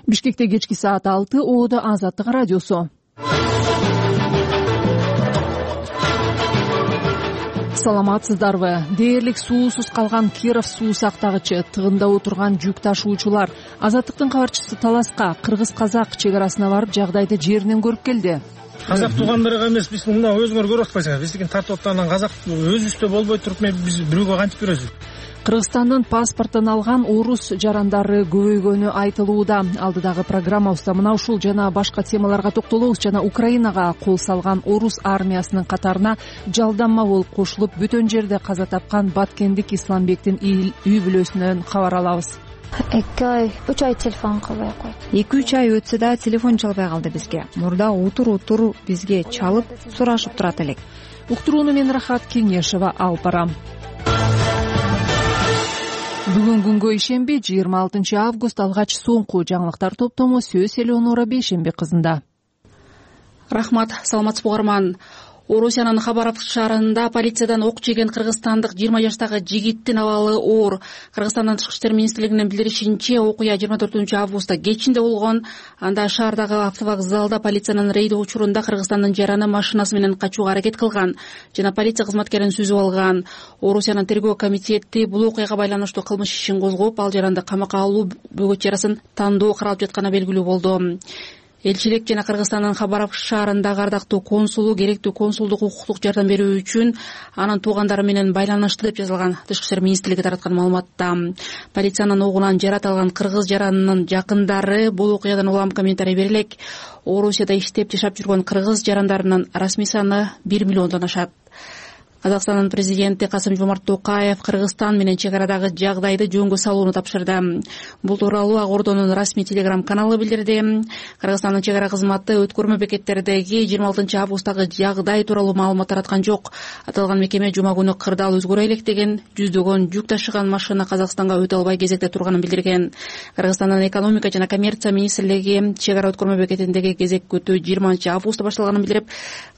Бишкекте кечки саат 6, Оодо Азаттык радиосу. Саламатсыздарбы? Дээрлик суусуз калган Киров суу сактагычы, тыгында отурган жүк ташуучулар. Азаттыктын кабарчысы Таласка, кыргыз-казак чек арасына барып, жагдайды жеринен көрүп келди. Казак туугандарга эмес, биз мына өзүңөр көрүп атпайсыңарбы? Биздикин тартып аткандан казак өзүбүздө болбой туруп, биз бирөөгө кантип беребиз? Кыргызстандын паспортун алган орус жарандары көбөйгөнү айтылууда. Алдыдагы программабызда мына ушул жана башка темаларга токтолобуз жана Украинага кол салган орус армиясынын катарына жалданма болуп кошулуп, бүтөн жерде каза тапкан баткендик Исламбектин үй бүлөсүнөн кабар алабыз. 2-3 ай телефон кылбай койду. 2-3 ай өтсө да телефон чалбай калды бизге. Мурда утур бизге чалып сурашып турат элек. Уктурууну мен Рахат Кеңешова алып барам. Бүгүн күнгө ишемби 26 август алгач соңку жаңылыктар топтому сөз Элеонора Бейшембек кызында. Рахмат, саламатсызбы угарман. Орусиянын Хабаровск шаарында полициядан ок жеген кыргызстандык 20 жаштагы жигиттин абалы оор. Кыргызстандын Тышкы иштер министрлигинин билдиришинче, окуя 24 августта кечинде болгон. Анда шаардагы автовокзалда полициянын рейди учурунда Кыргызстандын жараны машинасы менен качууга аракет кылган жана полиция кызматкерин сүзүп алган. Орусиянын тергөө комитети бул окуяга байланыштуу кылмыш ишин козгоп, ал жаранды камакка алуу бөгөт чарасын тандоо каралып жатканы белгилүү болду. Элчилик жана Кыргызстандын Хабаровск шаарындагы ардактуу консулу керектүү консулдук укуктук жардам берүү үчүн анын туугандары менен байланышты деп жазылган Тышкы иштер министрлиги тараткан маалыматта. Полициянын огунан жарат алган кыргыз жаранынын жакындары бул окуядан улам комментарий бере элек. Орусияда иштеп жашап жүргөн кыргыз жарандарынын расмий саны 1 миллиондон ашат. Казакстандын президенти Касым-Жомарт Токаев Кыргызстан менен чек арадагы жагдайды жөнгө салууну тапшырды. Бул тууралуу Ак Ордонун расмий телеграм каналы билдирди. Кыргызстандын чек ара кызматы өткөрмө бекеттердеги 26 августтагы жагдай тууралуу маалымат тараткан жок. Аталган мекеме жума күнү кырдаал өзгөрө элек деген жүздөгөн жүк ташыган машина Казакстанга өтө албай кезекте турганын билдирген. Кыргызстандын экономика жана коммерция министрлиги чек ара өткөрмө бекетиндеги кезек күтүү 20 августта башталганын билдирип,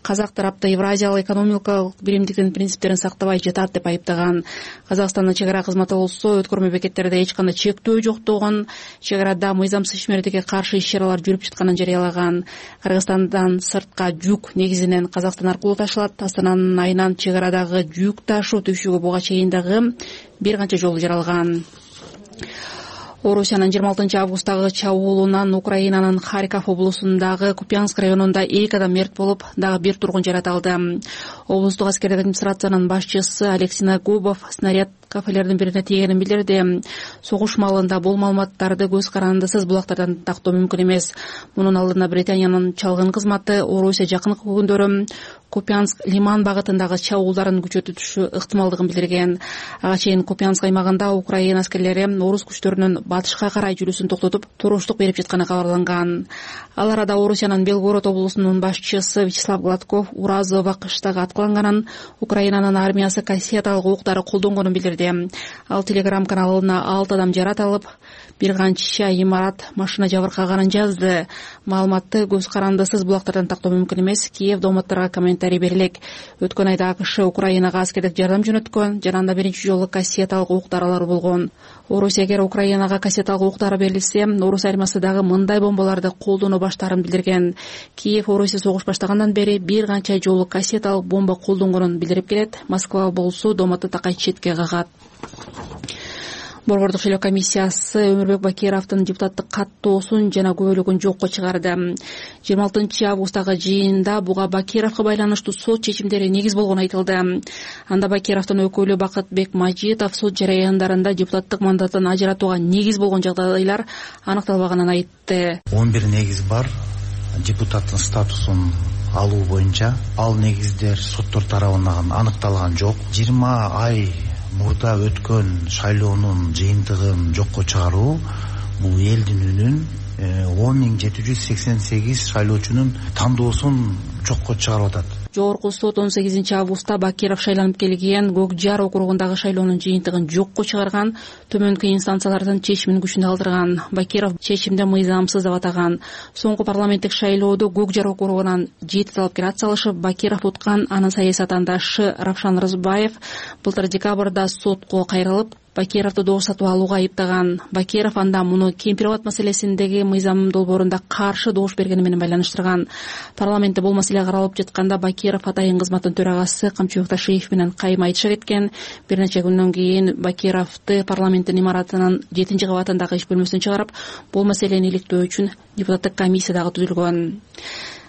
казак тарапты Евразиялык экономикалык биримдиктин принциптерин сактабай жатат деп айыптаган. Казакстандын чек ара кызматы болсо өткөрмө бекеттерде эч кандай чектөө жоктугун, чек арада мыйзамсыз ишмердикке каршы иш-чаралар жүрүп жатканын жарыялаган. Кыргызстандан сыртка жүк негизинен Казакстан аркылуу ташылат. Астананын айынан чек арадагы жүк ташуу түйшүгү буга чейин дагы бир канча жолу жаралган. Орусиянын 26 августтагы чабуулунан Украинанын Харьков облусундагы Купянск районунда 2 адам мерт болуп, дагы бир тургун жарат алды. Облустук аскердик администрациянын башчысы Алексей Нагубов снаряд кафелердин бирине тийгенин билдирди. Согуш маалында бул маалыматтарды көз карандысыз булактардан тактоо мүмкүн эмес. Мунун алдында Британиянын чалгын кызматы Орусия жакынкы күндөрү Купянск лиман багытындагы чабуулдарын күчөтүшү ыктымалдыгын билдирген. Ага чейин Купянск аймагында Украина аскерлери орус күчтөрүнүн батышка карай жүрүүсүн токтотуп, туруштук берип жатканы кабарланган. Ал арада Орусиянын Белгород облусунун башчысы Вячеслав Гладков Уразово кыштагы аткыланганын, Украинанын армиясы кассеталык октары колдонгонун билдирди. Ал телеграм каналына 6 адам жарат алып, бир канча имарат машина жабыркаганын жазды. Маалыматты көз карандысыз булактардан тактоо мүмкүн эмес. Киев дооматтарга комментарий берилек. Өткөн айда АКШ Украинага аскердик жардам жөнөткөн, жана анда биринчи жолу кассеталык октаралар болгон. Орусия эгер Украинага кассеталык октары берилсе, орус армиясы дагы мындай бомбаларды колдоно баштаарын билдирген. Киев Орусия согуш баштагандан бери бир канча жолу кассеталык бомба колдонгонун билдирип келет. Москва болсо дооматты такай четке кагат. Борбордук шайлоо комиссиясы Өмүрбек Бакировдун депутаттык каттоосун жана күбөлүгүн жокко чыгарды. 26 августтагы жыйында буга Бакировго байланыштуу сот чечимдери негиз болгону айтылды. Анда Бакировдун өкүлү Бакытбек Мажитов сот жараяндарында депутаттык мандатын ажыратууга негиз болгон жагдайлар аныкталбаганын айтты. 11 негиз бар депутаттын статусун алуу боюнча. Ал негиздер соттор тарабынан аныкталган жок. 20 ай мурда өткөн шайлоонун жыйынтыгын жокко чыгаруу бул элдин үнүн 10.788 шайлоочунун тандоосун жокко чыгарып атат. Жогорку сот 18 августта Бакиров шайланып келген Көк Жар округундагы шайлоонун жыйынтыгын жокко чыгарган, төмөнкү инстанциялардын чечимин күчүнө алдырган. Бакиров чечимди мыйзамсыз деп атаган. Соңку парламенттик шайлоодо Көк Жар округунан 7 талапкер ат салышып, Бакиров уткан. Анын саясат андашы Равшан Рызбаев былтыр декабрда сотко кайрылып, Бакировду доор сатып алууга айыптаган. Бакиров анда муну Кемпир-Абад маселесиндеги мыйзам долбоорунда каршы добуш бергени менен байланыштырган. Парламентте бул маселе каралып жатканда Бакиров Атайын кызматтын төрагасы Камчыбек Ташиев менен кайым айтыша кеткен. Бир нече күндөн кийин Бакировду парламенттин имаратынын 7-кабатындагы иш бөлмөсүнөн чыгарып, бул маселени иликтөө үчүн депутаттык комиссия дагы түзүлгөн.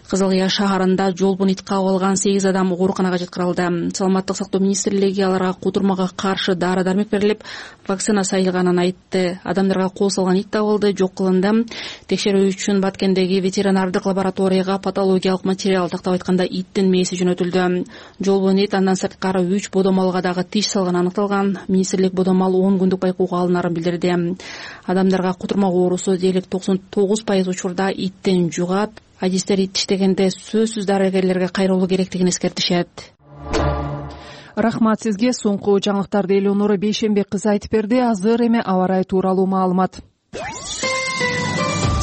Кызыл Кыя шаарында жолбун ит кабып алган 8 адам ооруканага жеткирилди. Саламаттык сактоо министрлиги аларга кудурмага каршы дары-дармек берилип, вакцина сайылганын айтты. Адамдарга кол салган ит табылды, жок кылынды. Текшерүү үчүн Баткендеги ветеринардык лабораторияга патологиялык материал, тактап айтканда иттин мээси жөнөтүлдү. Жолбун ит андан сырткары 3 бодомалга дагы тиш салганы аныкталган. Министрлик бодомал 10 күндүк байкоого алынарын билдирди. Адамдарга кудурма оорусу дээрлик 99% учурда иттен жугат. Адистер ит тиштегенде сөзсүз дарыгерлерге кайрылуу керектигин эскертишет. Рахмат сизге. Соңку жаңылыктарды Элеонора Бейшембек кызы айтып берди. Азыр эми аба ырайы тууралуу маалымат.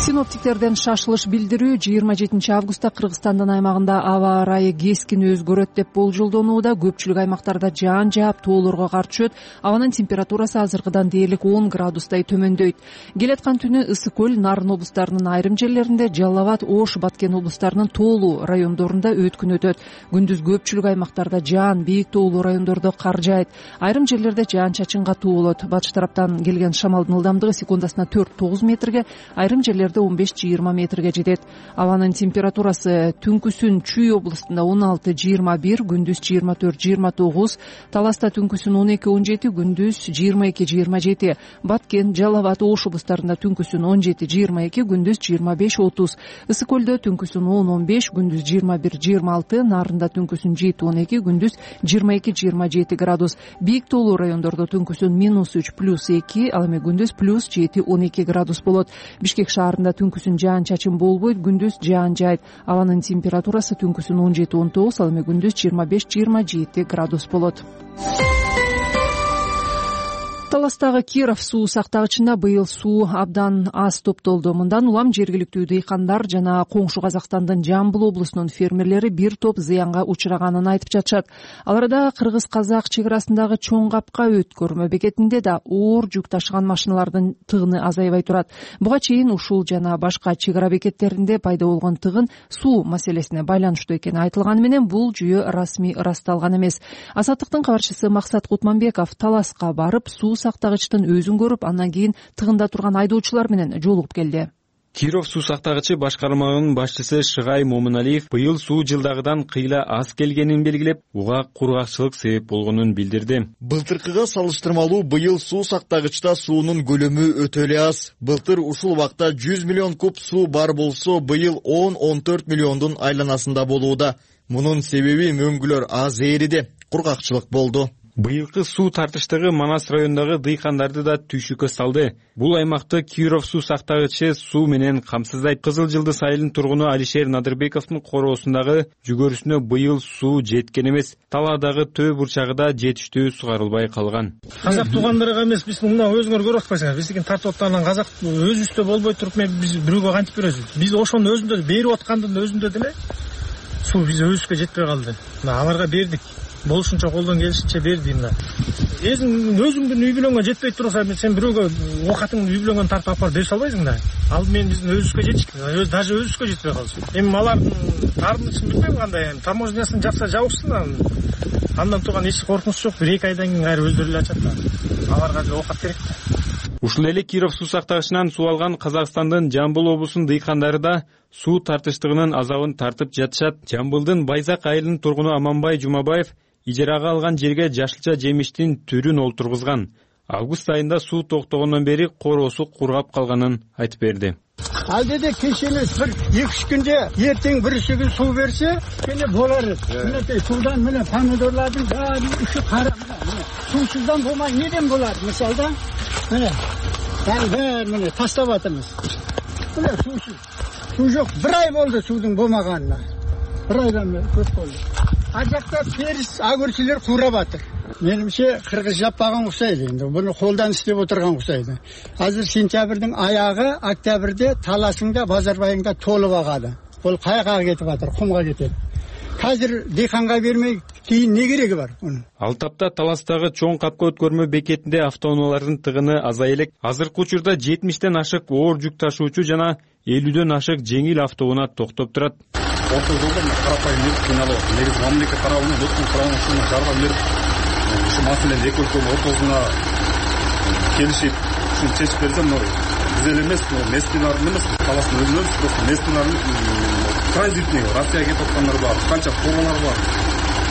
Синоптиктерден шашылыш билдирүү 27 августта Кыргызстандын аймагында аба ырайы кескин өзгөрөт деп болжолдонууда. Көпчүлүк аймактарда жаан жаап, тоолорго кар түшөт. Абанын температурасы азыркыдан дээрлик 10 градустай төмөндөйт. Келаткан түнү Ысык көл, Нарын облустарынын айрым жерлеринде, Жалал Абад, Ош, Баткен облустарынын тоолуу райондорунда өткүн өтөт. Күндүз көпчүлүк аймактарда жаан, бийик тоолуу райондордо кар жаайт. Айрым жерлерде жаан чачын катуу болот. Батыш тараптан келген шамалдын ылдамдыгы секундасына 4-9 метрге, айрым жерлерде 15-20 метрге жетет. Абанын температурасы түнкүсүн Чүй областында 16-21, күндүз 24-29, Таласта түнкүсүн 12-17, күндүз 22-27, Баткен, Жалал Абад, Ош областарында түнкүсүн 17-22, күндүз 25-30, Ысык көлдө түнкүсүн 10-15, күндүз 21-26, Нарында түнкүсүн 7-12, күндүз 22-27 градус. Бийик тоолуу райондордо түнкүсүн -3 +2, ал эми күндүз +7-12 градус болот. Бишкек шаарында түнкүсүн жаан чачын болбойт, күндүз жаан жаайт. Абанын температурасы түнкүсүн 17-19, ал эми күндүз 25-27 градус болот. Таластагы Киров суу сактагычында быйыл суу абдан аз топтолду. Мындан улам жергиликтүү дыйкандар жана коңшу Казакстандын Жамбыл облусунун фермерлери бир топ зыянга учураганын айтып жатышат. Аларда кыргыз-казак чек арасындагы Чоң Капка өткөрмө бекетинде да оор жүк ташыган машиналардын тыгыны азайбай турат. Буга чейин ушул жана башка чек ара бекеттеринде пайда болгон тыгын суу маселесине байланыштуу экени айтылганы менен бул жүйө расмий ырасталган эмес. Азаттыктын кабарчысы Максат Кутманбеков Таласка барып, суу сактагычтын өзүн көрүп, андан кийин тыгында турган айдоочулар менен жолугуп келди. Киров суу сактагычы башкармагынын башчысы Шыгай Момуналиев быйыл суу жылдагыдан кыйла аз келгенин белгилеп, буга кургакчылык себеп болгонун билдирди. Былтыркыга салыштырмалуу быйыл суу сактагычта суунун көлөмү өтө эле аз. Былтыр ушул убакта 100 миллион куб суу бар болсо, быйыл 10-14 миллиондун айланасында болууда. Мунун себеби мөңгүлөр аз ээриде, кургакчылык болду. Быйылкы суу тартыштыгы Манас районундагы дыйкандарды да түйшүккө салды. Бул аймакты Киров суу сактагычы суу менен камсыздайт. Кызыл Жылдыз айылынын тургуну Алишер Надырбековдун короосундагы жүгөрүсүнө быйыл суу жеткен эмес. Талаадагы төө бурчагы да жетиштүү сугарылбай калган. Казак туугандарга эмес, биз мына өзүңөр көрүп атпайсыңар. Биздикин тартып аткан казак өзүбүздө болбой туруп, биз бирөөгө кантип беребиз? Биз ошонун өзүндө берип аткандын өзүндө деле суу биз өзүбүзгө жетпей калды. Аларга бердик. Болушунча колдон келишинче берди. Өзүңдүн үй бүлөңө жетпей турса, сен бирөөгө оокатыңды үй бүлөңөн тартып алып барып бере салбайсың да. Ал менен биздин өзүбүзгө жетишти. Даже өзүбүзгө жетпей калды. Эми алардын таарынычын билбейм кандай, таможнясын жапса жабышсын. Андан турган эч коркунуч жок. 1-2 айдан кийин кайра өздөрү эле ачат да. Аларга деле оокат керек да. Ушул эле Киров суу сактагычынан суу алган Казакстандын Жамбыл облусунун дыйкандары да суу тартыштыгынын азабын тартып жатышат. Жамбылдын Байзак айылынын тургуну Аманбай Жумабаев ижарага алган жерге жашылча жемиштин түрүн олтургузган. Август айында суу токтогондон бери короосу кургап калганын айтып берди. Ал жерде кечене 1-2 күндө эртең бир шүгүн суу берсе, кене болар. Мындай суудан менен помидорлардын баары ушул кара. Суусуздан болмай неден болар? Мисалда, мына баары таштап атабыз. Мына суусуз. Суу жок. 1 ай болду суудун болмаганына. 1 айдан бери көп болду. Ар жакта терис агөрчүлөр курап атыр. Менимче кыргыз жаппаган окшойт энди. Буну колдан иштеп отурган окшойт. Азыр сентябрдын аягы, октябрде Таласыңда, Базарбайыңда толуп агады. Бул кайга кетип атыр, кумга кетет. Азыр дыйканга бермей Кийин не кереги бар унун? Ал тапта Таластагы чоң капка өткөрмө бекетинде автоунаалардын тыгыны азая элек. Азыркы учурда 70тен ашык оор жүк ташуучу жана 50дөн ашык жеңил автоунаа токтоп турат. 30 жылда карапайым финалып, негизи мамлекет тарабынан өткөн куралышына жардам берип, ушу маселени эки өлкөнүн ортосуна келишип, ушуну чечип берсе, биз эле эмес, местинардын эмес, Таластын өзүнөн просто местинардын транзитный Россияга кетип аткандар бар, канча фургалар бар.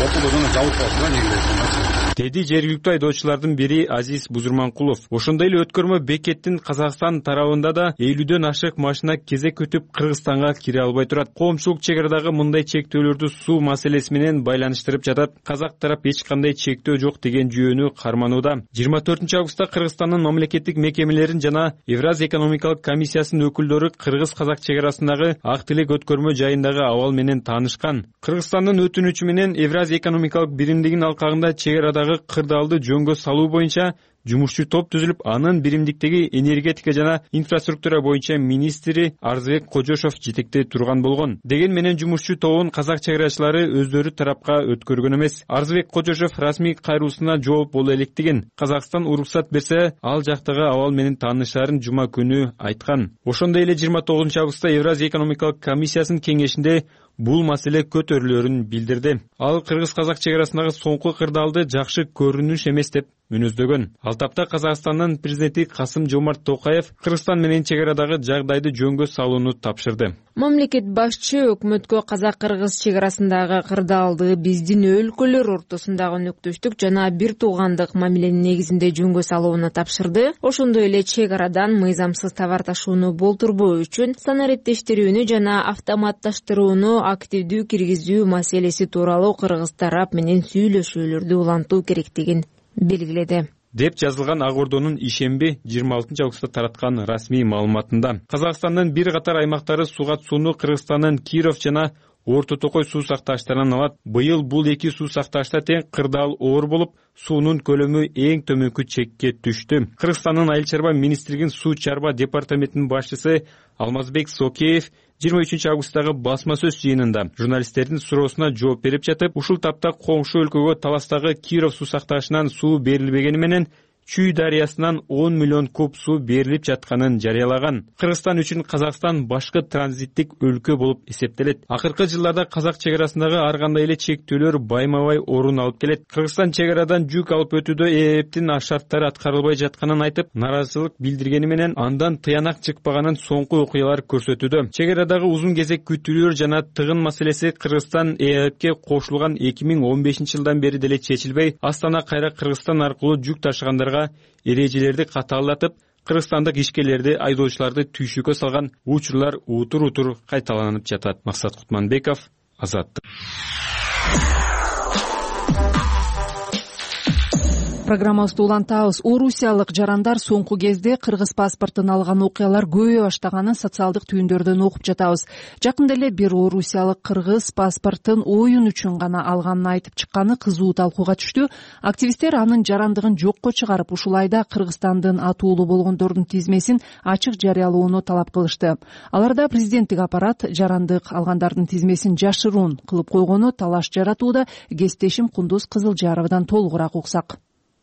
Ортодо жана жабылып калды негизи. Деди жергиликтүү айдоочулардын бири Азиз Бузурманкулов. Ошондой эле өткөрмө бекеттин Казакстан тарабында да 50дөн ашык машина кезек күтүп Кыргызстанга кире албай турат. Коомчулук чек арадагы мындай чектөөлөрдү суу маселеси менен байланыштырып жатат. Казак тарап эч кандай чектөө жок деген жүйөнү карманууда. 24 августта Кыргызстандын мамлекеттик мекемелерин жана Евразия экономикалык комиссиясынын өкүлдөрү Кыргыз-Казак чек арасындагы Ак Тилек өткөрмө жайындагы абал менен таанышкан. Кыргызстандын өтүнүчү менен Евразия экономикалык биримдигинин алкагында чек арадагы кырдаалды жөнгө салуу боюнча жумушчу топ түзүлүп, анын биримдиктеги энергетика жана инфраструктура боюнча министри Арзыбек Кожошов жетектей турган болгон. Деген менен жумушчу тобун казак чек арачылары өздөрү тарапка өткөргөн эмес. Арзыбек Кожошов расмий кайруусуна жооп боло электигин, Казакстан уруксат берсе, ал жактагы абал менен таанышаарын жума күнү айткан. Ошондой эле 29 августта Евразия экономикалык комиссиясынын кеңешинде бул маселе көтөрүлөрүн билдирди. Ал Кыргыз-Казак чек арасындагы соңку кырдаалды жакшы көрүнүш эмес деп мүнөздөгөн. Ал тапта Казакстандын президенти Касым-Жомарт Токаев Кыргызстан менен чек арадагы жагдайды жөнгө салууну тапшырды. Мамлекет башчы өкмөткө казак-кыргыз чек арасындагы кырдаалды биздин өлкөлөр ортосундагы өнөктөштүк жана бир туугандык мамиленин негизинде жөнгө салууну тапшырды. Ошондой эле чек арадан мыйзамсыз товар ташууну болтурбоо үчүн санариптештирүүнү жана автоматташтырууну активдүү киргизүү маселеси тууралуу кыргыз тарап менен сүйлөшүүлөрдү улантуу керектигин белгиледи деп жазылган Ак Ордонун ишемби 26 августта тараткан расмий маалыматында. Казакстандын бир катар аймактары сууга сууну Кыргызстандын Киров жана Орто Токой суу сактаачтарынан алат. Быйыл бул эки суу сактаачта тең кырдаал оор болуп, суунун көлөмү эң төмөнкү чекке түштү. Кыргызстандын Айыл чарба министрлигинин суу чарба департаментинин башчысы Алмазбек Сокеев 23 августтагы басма сөз жыйынында журналисттердин суроосуна жооп берип жатып, ушул тапта коңшу өлкөгө Таластагы Киров суу сактаачынан суу берилбегени менен Чүй дарыясынан 10 миллион куб суу берилип жатканын жарыялаган. Кыргызстан үчүн Казакстан башкы транзиттик өлкө болуп эсептелет. Акыркы жылдарда казак чек арасындагы ар кандай эле чектөөлөр байма-бай орун алып келет. Кыргызстан чек арадан жүк алып өтүүдө ээптин шарттары аткарылбай жатканын айтып, нааразычылык билдиргени менен андан тыянак чыкпаганын соңку окуялар көрсөтүүдө. Чек арадагы узун кезек күтүүлөр жана тыгын маселеси Кыргызстан ээпке кошулган 2015 жылдан бери деле чечилбей, Астана кайра Кыргызстан аркылуу жүк ташыгандарга эрежелерди катаалатып, кыргызстандык ишкерлерди, айдоочуларды түйшүккө салган учурлар утур-утур кайталанып жатат. Максат Кутманбеков, Азаттык. Программабызды улантабыз. Орусиялык жарандар соңку кезде кыргыз паспортун алган окуялар көбөйө баштаганын социалдык түйүндөрдөн окуп жатабыз. Жакында эле бир орусиялык кыргыз паспортун оюн үчүн гана алганын айтып чыкканы кызуу талкууга түштү. Активисттер анын жарандыгын жокко чыгарып, ушул айда Кыргызстандын атуулуу болгондордун тизмесин ачык жарыялоону талап кылышты. Аларда президенттик аппарат жарандык алгандардын тизмесин жашыруун кылып койгону талаш жаратууда. Кесиптешим Кундуз Кызылжаровдон толугураак уксак.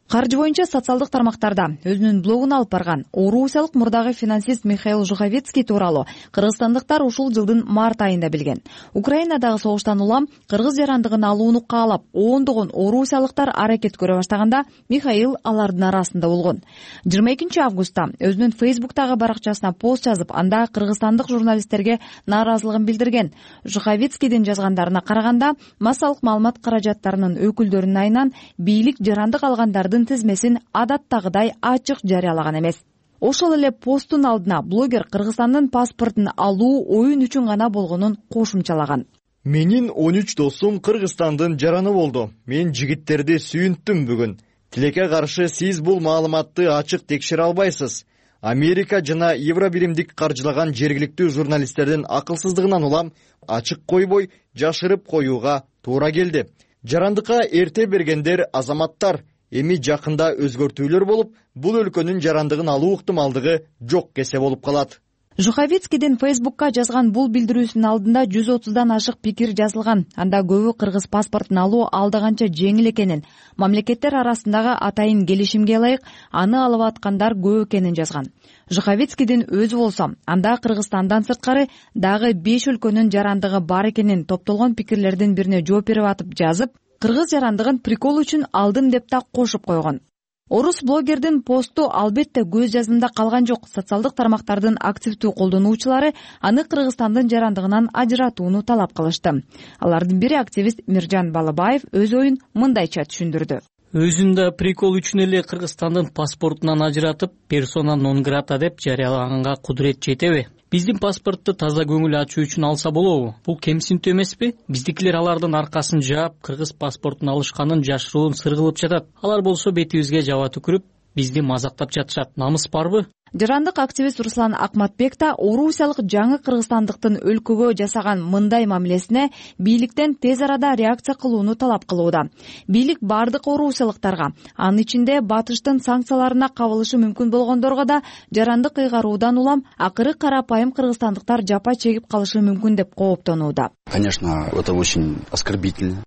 Каржы боюнча социалдык тармактарда өзүнүн блогун алып барган орусиялык мурдагы финансист Михаил Жуховецкий тууралуу кыргызстандыктар ушул жылдын март айында билген. Украинадагы согуштан улам кыргыз жарандыгын алууну каалап, ондогон орусиялыктар аракет көрө баштаганда Михаил алардын арасында болгон. 22 августта өзүнүн Facebook'тагы баракчасына пост жазып, анда кыргызстандык журналисттерге нааразылыгын билдирген. Жуховецкийдин жазгандарына караганда, массалык маалымат каражаттарынын өкүлдөрүнүн айынан бийлик жарандык алгандардын тизмесин адаттагыдай ачык жарыялаган эмес. Ошол эле посттун алдына блогер Кыргызстандын паспортун алуу оюн үчүн гана болгонун кошумчалаган. Менин 13 досум Кыргызстандын жараны болду. Мен жигиттерди сүйүнттүм бүгүн. Тилекке каршы сиз бул маалыматты ачык текшере албайсыз. Америка жана Евро биримдик каржылаган жергиликтүү журналисттердин акылсыздыгынан улам ачык койбой жашырып коюуга туура келди. Жарандыкка эрте бергендер азаматтар. Эми жакында өзгөртүүлөр болуп, бул өлкөнүн жарандыгын алуу ыктымалдыгы жок кесе болуп калат. Жухавицкийдин Фейсбукка жазган бул билдирүүсүнүн алдында 130дан ашык пикир жазылган. Анда көбү кыргыз паспортун алуу алда канча жеңил экенин, мамлекеттер арасындагы атайын келишимге ылайык аны алып аткандар көп экенин жазган. Жухавицкийдин өзү болсо анда Кыргызстандан сырткары дагы 5 өлкөнүн жарандыгы бар экенин топтолгон пикирлердин бирине жооп берип атып жазып, кыргыз жарандыгын прикол үчүн алдым деп да кошуп койгон. Орус блогердин посту албетте көз жазымда калган жок. Социалдык тармактардын активдүү колдонуучулары аны Кыргызстандын жарандыгынан ажыратууну талап кылышты. Алардын бири активист Миржан Балабаев өз оюн мындайча түшүндүрдү. Өзүн да прикол үчүн эле Кыргызстандын паспортунан ажыратып, персона нон грата деп жарыялаганга кудурет жетеби? Биздин паспортту таза көңүл ачуу үчүн алса болобу? Бул кемсинтүү эмеспи? Биздикилер алардын аркасын жаап, кыргыз паспортун алышканын жашыруун сыр кылып жатат. Алар болсо бетибизге жаба түкүрүп, бизди мазактап жатышат. Намыс барбы? Жарандык активист Руслан Акматбек да орусиялык жаңы кыргызстандыктын өлкөгө жасаган мындай мамилесине бийликтен тез арада реакция кылууну талап кылууда. Бийлик бардык орусиялыктарга, анын ичинде батыштын санкцияларына кабылышы мүмкүн болгондорго да жарандык ыйгаруудан улам акыры карапайым кыргызстандыктар жапа чегип калышы мүмкүн деп кооптонууда. Конечно, это очень оскорбительно.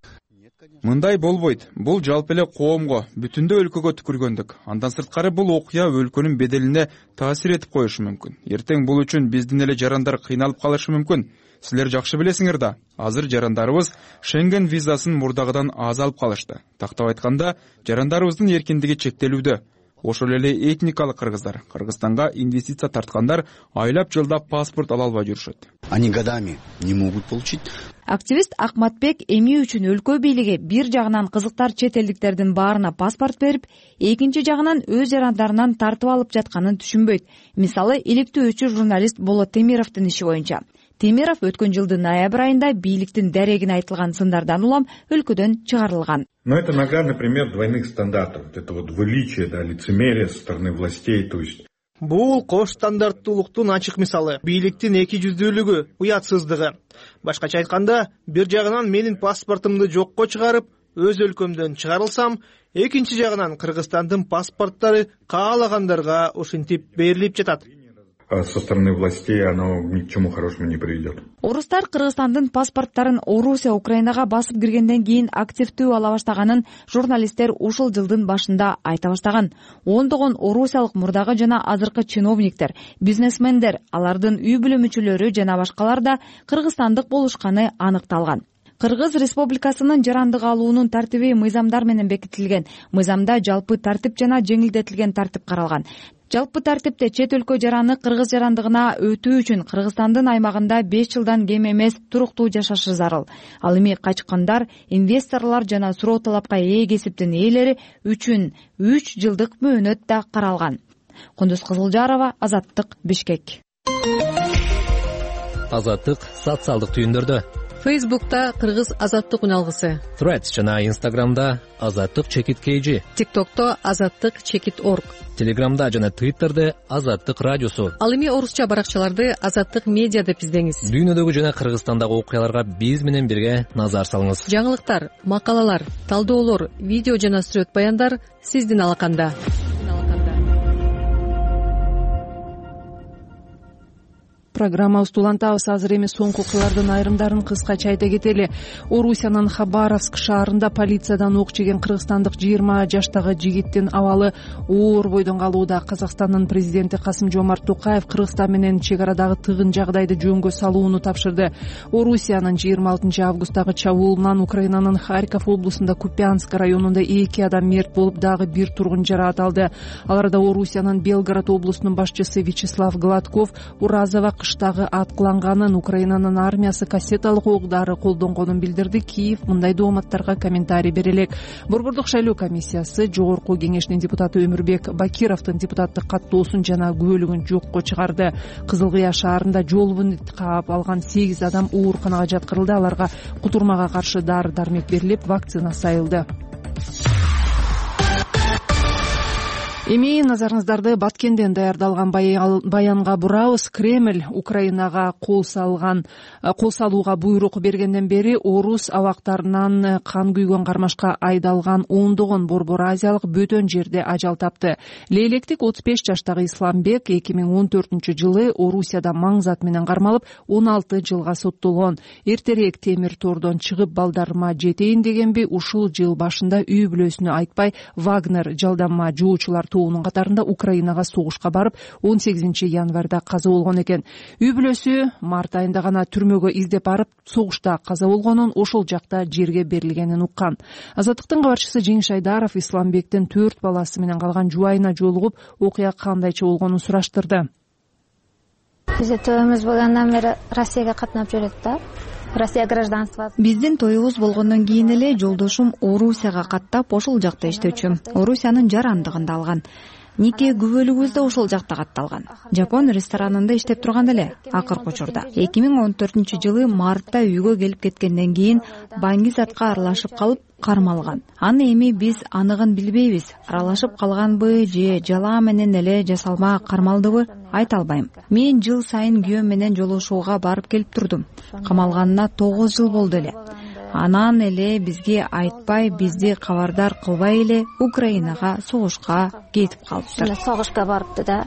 Мындай болбойт. Бул жалпы эле коомго, бүтүндө өлкөгө түкүргөндүк. Андан сырткары бул окуя өлкөнүн беделине таасир этип коюшу мүмкүн. Эртең бул үчүн биздин эле жарандар кыйналып калышы мүмкүн. Силер жакшы билесиңер да, азыр жарандарыбыз Шенген визасын мурдагыдан аз алып калышты. Тактап айтканда, жарандарыбыздын эркиндиги чектелүүдө. Ошол эле этникалык кыргыздар, Кыргызстанга инвестиция тарткандар айлап жылдап паспорт ала албай жүрүшөт. Они годами не могут получить. Активист Акматбек эми үчүн өлкө бийлиги бир жагынан кызыктар чет элдиктердин баарына паспорт берип, экинчи жагынан өз жарандарынан тартып алып жатканын түшүнбөйт. Мисалы, иликтөөчү журналист Болот Темировдун иши боюнча. Темиров өткөн жылдын ноябрь айында бийликтин дарегине айтылган сындардан улам өлкөдөн чыгарылган. Но это наглядный пример двойных стандартов. Это вот двуличие, да, лицемерие со стороны властей, то есть. Бул кош стандарттуулуктун ачык мисалы. Бийликтин эки жүздүүлүгү, уятсыздыгы. Башкача айтканда, бир жагынан менин паспортумду жокко чыгарып, өз өлкөмдөн чыгарылсам, экинчи жагынан Кыргызстандын паспорттары каалагандарга ушинтип берилип жатат. Со стороны властей оно ни к чему хорошему не приведет. Орустар Кыргызстандын паспорттарын Орусия Украинага басып киргенден кийин активдүү ала баштаганын журналисттер ушул жылдын башында айта баштаган. Ондогон орусиялык мурдагы жана азыркы чиновниктер, бизнесмендер, алардын үй бүлө мүчөлөрү жана башкалар да кыргызстандык болушканы аныкталган. Кыргыз Республикасынын жарандык алуунун тартиби мыйзамдар менен бекитилген. Мыйзамда жалпы тартип жана жеңилдетилген тартип каралган. Жалпы тартипте чет өлкө жараны кыргыз жарандыгына өтүү үчүн Кыргызстандын аймагында 5 жылдан кем эмес туруктуу жашашы зарыл. Ал эми качкандар, инвесторлор жана суроо талапка ээ кесиптин ээлери үчүн 3 жылдык мөөнөт да каралган. Кундуз Кызылжарова, Азаттык, Бишкек. Азаттык социалдык түйүндөрдө. Фейсбукта Кыргыз Азаттык үналгысы. Threads жана Инстаграмда Азаттык чекит KG. ТикТокто Азаттык чекит org. Телеграмда жана Твиттерде Азаттык радиосу. Ал эми орусча баракчаларды Азаттык медиа деп издеңиз. Дүйнөдөгү жана Кыргызстандагы окуяларга биз менен бирге назар салыңыз. Жаңылыктар, макалалар, талдоолор, видео жана сүрөт баяндар сиздин алаканда. Программабызды улантабыз. Азыр эми соңку окуялардын айрымдарын кыскача айта кетели. Орусиянын Хабаровск шаарында полициядан ок жеген кыргызстандык 20 жаштагы жигиттин абалы оор бойдон калууда. Казакстандын президенти Касым-Жомарт Токаев Кыргызстан менен чек арадагы тыгын жагдайды жөнгө салууну тапшырды. Орусиянын 26 августтагы чабуулунан Украинанын Харьков облусунда Купянск районунда 2 адам мерт болуп, дагы 1 тургун жаракат алды. Аларда Орусиянын Белгород облусунун башчысы Вячеслав Гладков Уразова кыштагы аткыланганын, Украинанын армиясы кассеталык ок-дары колдонгонун билдирди. Киев мындай дооматтарга комментарий бере элек. Борбордук шайлоо комиссиясы Жогорку кеңештин депутаты Өмүрбек Бакировдун депутаттык каттоосун жана күбөлүгүн жокко чыгарды. Кызыл Кыя шаарында жолбун каап алган 8 адам ооруканага жаткырылды. Аларга кутурмага каршы дары-дармек берилип, вакцина сайылды. Эми назарыңыздарды Баткенден даярдалган баянга бурабыз. Кремль Украинага кол салууга буйрук бергенден бери орус абактарынан кан күйгөн кармашка айдалган ондогон борбор азиялык бөтөн жерде ажал тапты. Лейлектик 35 жаштагы Исламбек 2014-жылы Орусияда маң зат менен кармалып 16 жылга соттолгон. Эртерээк темир тордон чыгып балдарыма жетейин дегенби ушул жыл башында үй бүлөсүнө айтпай Вагнер жалданма жоочулар тобунун катарында Украинага согушка барып 18 январда каза болгон экен. Үй бүлөсү март айында гана түрмөгө издеп барып согушта каза болгонун, ошол жакта жерге берилгенин уккан. Азаттыктын кабарчысы Жеңиш Айдаров Исламбектин 4 баласы менен калган жубайына жолугуп, окуя кандайча болгонун сураштырды. Биз тойубуз болгондон бери Россияга катнап жүрөт да. Россия гражданство. Биздин тоюбуз болгондон кийин эле жолдошум Орусияга каттап ошол жакта иштөөчү. Орусиянын жарандыгында алган. Нике күбөлүгүбүз да ошол жакта катталган. Жапон ресторанында иштеп турганда эле акыркы учурда. 2014-жылы мартта үйгө келип кеткенден кийин баңгизатка аралашып калып кармалган. Аны эми биз аныгын билбейбиз. Аралашып калганбы же жалаа менен эле жасалма кармалдыбы айта албайм. Мен жыл сайын күйөөм менен жолошууга барып келип турдум. Камалганына 9 жыл болду эле. Анан эле бизге айтпай, бизди кабардар кылбай эле Украинага согушка кетип калыптыр. Согушка барыпты да.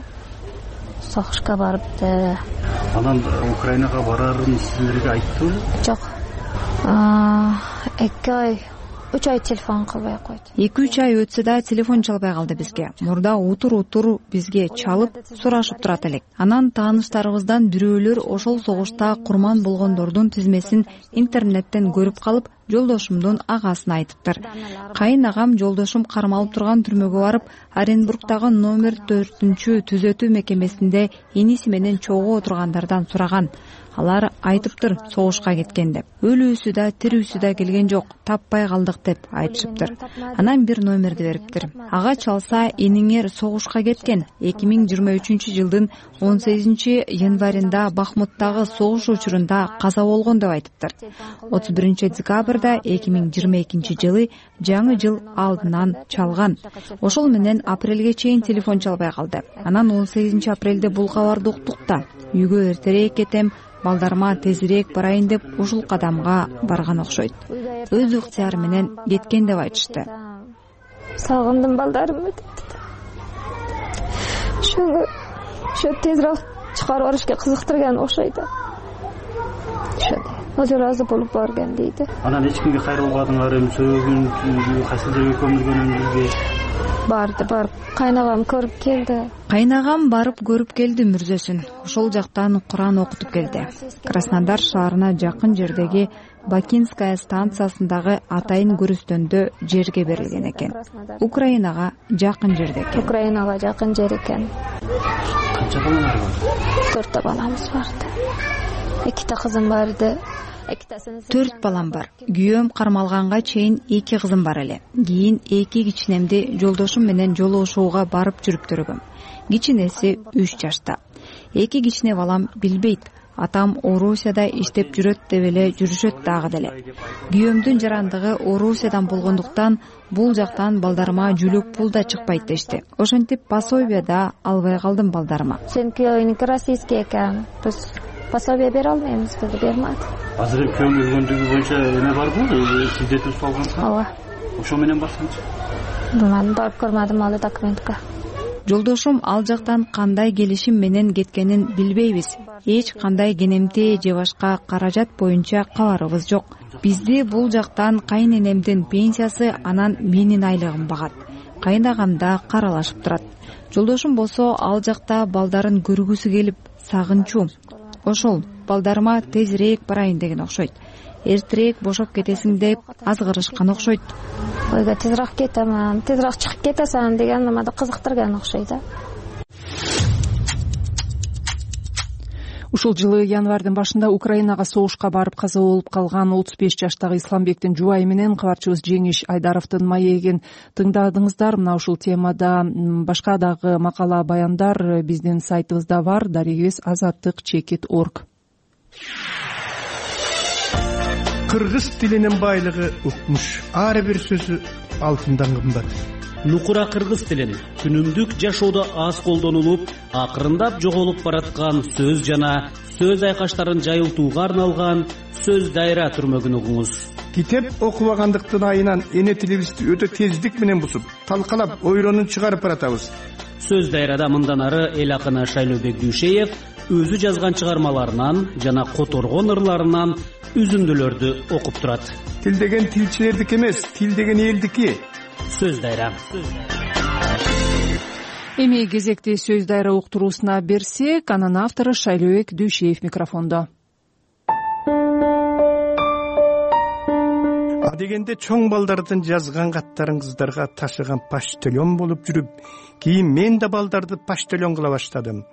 Согушка барыпты. Анан Украинага барарын силерге айттыбы? Жок. 2 ай 3 ай телефон кылбай койду. 2-3 ай өтсө да телефон чалбай калды бизге. Мурда утур бизге чалып сурашып турат элек. Анан тааныштарыбыздан бирөөлөр ошол согушта курман болгондордун тизмесин интернеттен көрүп калып, жолдошумдун агасына айтыптыр. Кайын агам жолдошум кармалып турган түрмөгө барып, Оренбургдагы номер 4 түзөтүү мекемесинде иниси менен чогуу отургандардан сураган. Алар айтыптыр согушка кеткен деп. Өлүүсү да, тирүүсү да келген жок, таппай калдык деп айтышыптыр. Анан бир номерди бериптир. Ага чалса, эниңер согушка кеткен. 2023-жылдын 18 январында Бахмуттагы согуш учурунда каза болгон деп айтыптыр. 31 декабрда 2022-жылы жаңы жыл алдынан чалган. Ошол менен апрелге чейин телефон чалбай калды. Анан 18 апрелде бул кабарды уктук да. Үйгө эртерээк кетем, балдарыма тезирээк барайын деп ушул кадамга барган окшойт. Өз ыктыяры менен кеткен деп айтышты. Сагындым балдарымды деп. Ошо тезирээк чыгарып барышка кызыктырган окшойт. Өзү ыраазы болуп барган дейди. Анан эч кимге кайрылбадыңар, эми сөөгүн, кайсы жерге көмүлгөнүңүзгө? Барып кайнагам көрүп келди. Кайнагам барып көрүп келди мүрзөсүн. Ошол жактан Куран окутуп келди. Краснодар шаарына жакын жердеги Бакинская станциясындагы атайын көрүстөндө жерге берилген экен. Украинага жакын жерде экен. Украинага жакын жер экен. Канча балаңар бар? 4 баламыз барды. 2 кызым барды. 4 балам бар. Күйөөм кармалганга чейин 2 кызым бар эле. Кийин 2 кичинемди жолдошум менен жолошууга барып жүрүптүргөм. Кичинеси 3 жашта. 2 кичине балам билбейт. Атам Орусияда иштеп жүрөт деп эле жүрүшөт дагы деле. Күйөөмдүн жарандыгы Орусиядан болгондуктан бул жактан балдарыма жүлөк пул да чыкпайт дешти. Ошентип пособие да албай калдым балдарыма. Сен күйөөңү российский экен. Биз пособие бере албайбыз, деди, бермады. Азыр күйөөң өлгөндүгү боюнча эме барбы? Свидетельство алгансың? Ооба. Ошо менен барсаңчы? Мен барып көрмөдүм ал документке. Жолдошум ал жактан кандай келишим менен кеткенин билбейбиз. Эч кандай кенемти же башка каражат боюнча кабарыбыз жок. Бизди бул жактан кайненемдин пенсиясы, анан менин айлыгым багат. Кайнагам да каралашып турат. Жолдошум болсо ал жакта балдарын көргүсү келип, сагынчу. Ошол балдарыма тезирээк барайын деген окшойт. Эртерээк бошоп кетесиң деп азгырышкан окшойт. Ойга тезирээк кетем, тезирээк чыгып кетесиң деген мага кызыктырган окшойт да. Ушул жылы январдын башында Украинага согушка барып каза болуп калган 35 жаштагы Исламбектин жубайы менен кабарчыбыз Жеңиш Айдаровдун маегин тыңдадыңыздар. Мына ушул темада башка дагы макала баяндар биздин сайтыбызда бар. Дарегибиз azattik.org. Кыргыз тилинин байлыгы укмуш. Ар бир сөзү алтындан кымбат. нукура кыргыз тилин күнүмдүк жашоодо аз колдонулуп, акырындап жоголуп бараткан сөз жана сөз айкаштарын жайылтууга арналган сөз дайра түрмөгүн угуңуз. Китеп окубагандыктын айынан эне тилибизди өтө тездик менен бузуп, талкалап, ойронун чыгарып баратабыз. Сөз дайрада мындан ары эл акыны Шайлообек Дүйшеев өзү жазган чыгармаларынан жана которгон ырларынан үзүндүлөрдү окуп турат. Тил деген тилчилердики эмес, тил деген элдики. Сөз дайра. Эми кезекти сөз дайра уктуруусуна берсек, анын автору Шайлообек Дүйшеев микрофондо. Адегенде чоң балдардын жазган каттарын кыздарга ташыган почтальон болуп жүрүп, кийин мен да балдарды почтальон кыла баштадым.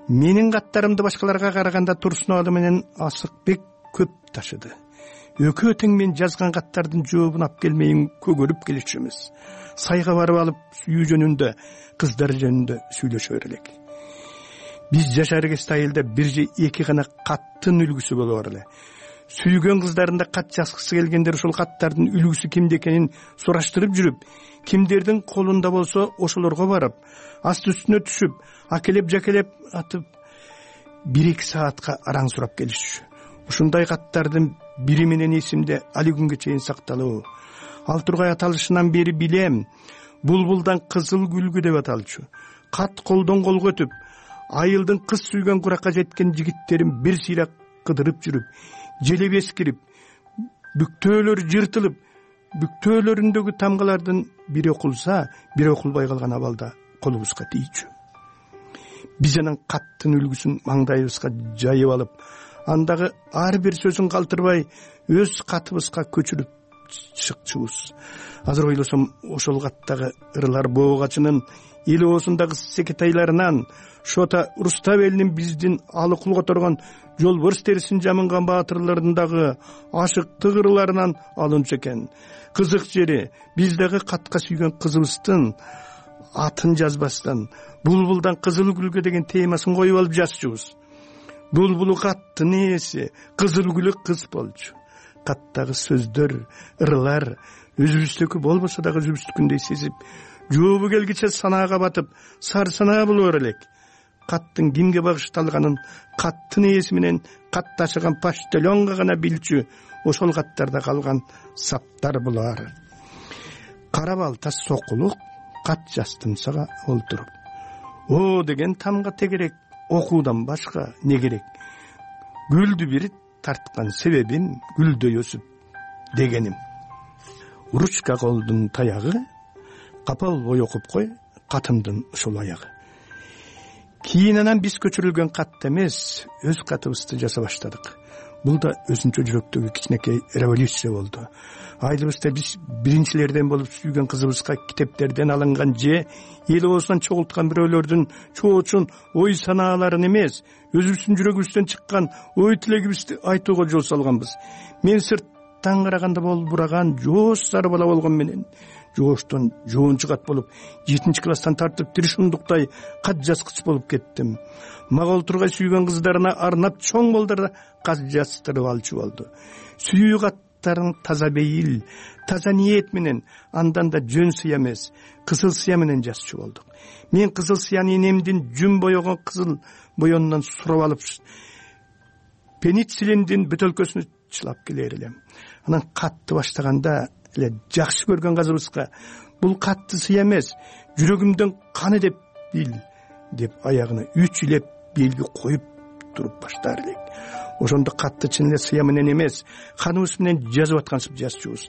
Менин каттарымды башкаларга караганда Турсун ага менен Асыкбек көп ташыды. Экөө тең мен жазган каттардын жообун алып келмейин көгөрүп келишчүбүз. Сайга барып алып сүйүү жөнүндө, кыздар жөнүндө сүйлөшөр элек. Биз жашар кезде айылда бир же эки гана каттын үлгүсү болор эле. Сүйгөн кыздарында кат жазгысы келгендер ушул каттардын үлгүсү кимде экенин сураштырып жүрүп, кимдердин колунда болсо ошолорго барып, асты үстүнө түшүп, акелеп жакелеп атып 1-2 саатка араң сурап келишчү. Ушундай каттардын бири менен эсимде али күнгө чейин сакталуу. Ал тургай аталышынан бери билем. Булбулдан кызыл гүлгү деп аталчу. Кат колдон колго өтүп, айылдын кыз сүйгөн куракка жеткен жигиттерин бир сыйра кыдырып жүрүп, желеп эскирип, бүктөөлөр жыртылып, бүктөөлөрүндөгү тамгалардын бири окулса, бири окулбай калган абалда колубузга тийчү. Биз анан каттын үлгүсүн маңдайыбызга жайып алып, андагы ар бир сөзүн калтырбай өз катыбызга көчүрүп чыкчубуз. Азыр ойлосом, ошол каттагы ырлар боогачынын эл оозундагы секетайларынан, Шота Рустав элинин биздин алы кул которгон жолборс терисин жамынган баатырларындагы ашыктык ырларынан алынчу экен. Кызык жери, биз дагы катка сүйгөн кызыбыздын атын жазбастан булбулдан кызыл гүлгө деген темасын коюп алып жазчубуз. Булбулу каттын ээси, кызыл гүлү кыз болчу. Каттагы сөздөр, ырлар өзүбүздүкү болбосо дагы өзүбүздүкүндөй сезип, жообу келгиче санаага батып, сарсанаа болор элек. Каттын кимге багышталганын каттын ээси менен кат ташыган почтальонго гана билчү, ошол каттарда калган саптар булар. Кара балта сокулук кат жастымсага олтуруп. О деген тамга тегерек, окуудан башка не керек? Гүлдү бир тарткан себебим гүлдөй өсүп дегеним. Ручка колдун таягы, капа болбой окуп кой катымдын ушул аягы. Кийин анан биз көчүрүлгөн кат эмес, өз катыбызды жаза баштадык. Бул да өзүнчө жүрөктөгү кичинекей революция болду. Айылыбызда биз биринчилерден болуп сүйгөн кызыбызга китептерден алынган же эл оозунан чогулткан бирөөлөрдүн чоочун ой санааларын эмес, өзүбүздүн жүрөгүбүздөн чыккан ой тилегибизди айтууга жол салганбыз. Мен сырттан караганда болбураган жоош сары бала болгон менен жооштон жоончу кат болуп, 7-класстан тартып Тришундуктай кат жазгыч болуп кеттим. Мага олтургай сүйгөн кыздарына арнап чоң болдорда кат жаздырып алчу болду. Сүйүү каттарын таза бейил, таза ниет менен, андан да жөн сыя эмес, кызыл сыя менен жазчу болдук. Мен кызыл сыяны энемдин жүн боёгон кызыл боёнунан сурап алып, пенициллиндин бөтөлкөсүнө чылап келер элем. Анан катты баштаганда эле жакшы көргөн кызыбызга бул катты сыя эмес, жүрөгүмдөн каны деп бил деп аягына 3 илеп белги коюп туруп баштар элек. Ошондо катты чын эле сыя менен эмес, каныбыз менен жазып аткансып жазчубуз.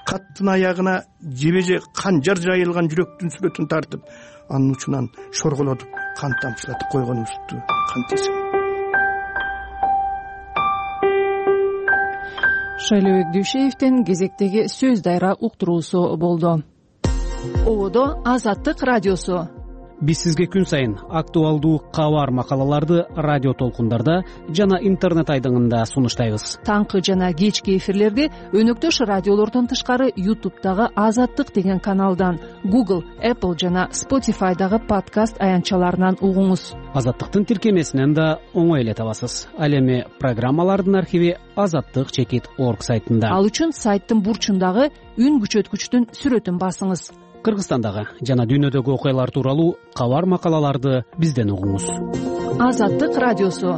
Каттын аягына жебеже канжар жайылган жүрөктүн сүрөтүн тартып, анын учунан шорголотуп, кан тамчылатып койгонубузду кантесиң. Шайлообек Дүйшеевдин кезектеги сөз дайра уктуруусу болду. Ободо Азаттык радиосу. Биз сизге күн сайын актуалдуу кабар макалаларды радио толкундарда жана интернет айдыңында сунуштайбыз. Таңкы жана кечки эфирлерди өнөктөш радиолордон тышкары YouTube'дагы Азаттык деген каналдан, Google, Apple жана Spotify'дагы подкаст аянтчаларынан угуңуз. Азаттыктын тиркемесинен да оңой эле табасыз. Ал эми программалардын архиви azattik.org сайтында. Ал үчүн сайттын бурчундагы үн күчөткүчтүн сүрөтүн басыңыз. Кыргызстандагы жана дүйнөдөгү окуялар тууралуу кабар макалаларды бизден угуңуз. Азаттык радиосу.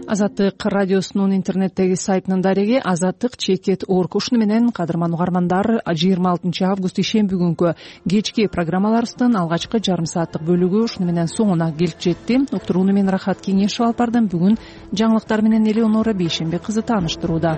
Азаттык радиосунун интернеттеги сайтынын дареги azattik.org. Ушуну менен кадырман угармандар, 26 август ишемби күнкү кечки программаларыбыздын алгачкы жарым сааттык бөлүгү ушуну менен соңуна келип жетти. Уктурууну мен Рахат Кеңешев алып бардым. Бүгүн жаңылыктар менен Элеонора Бейшембек кызы тааныштырууда.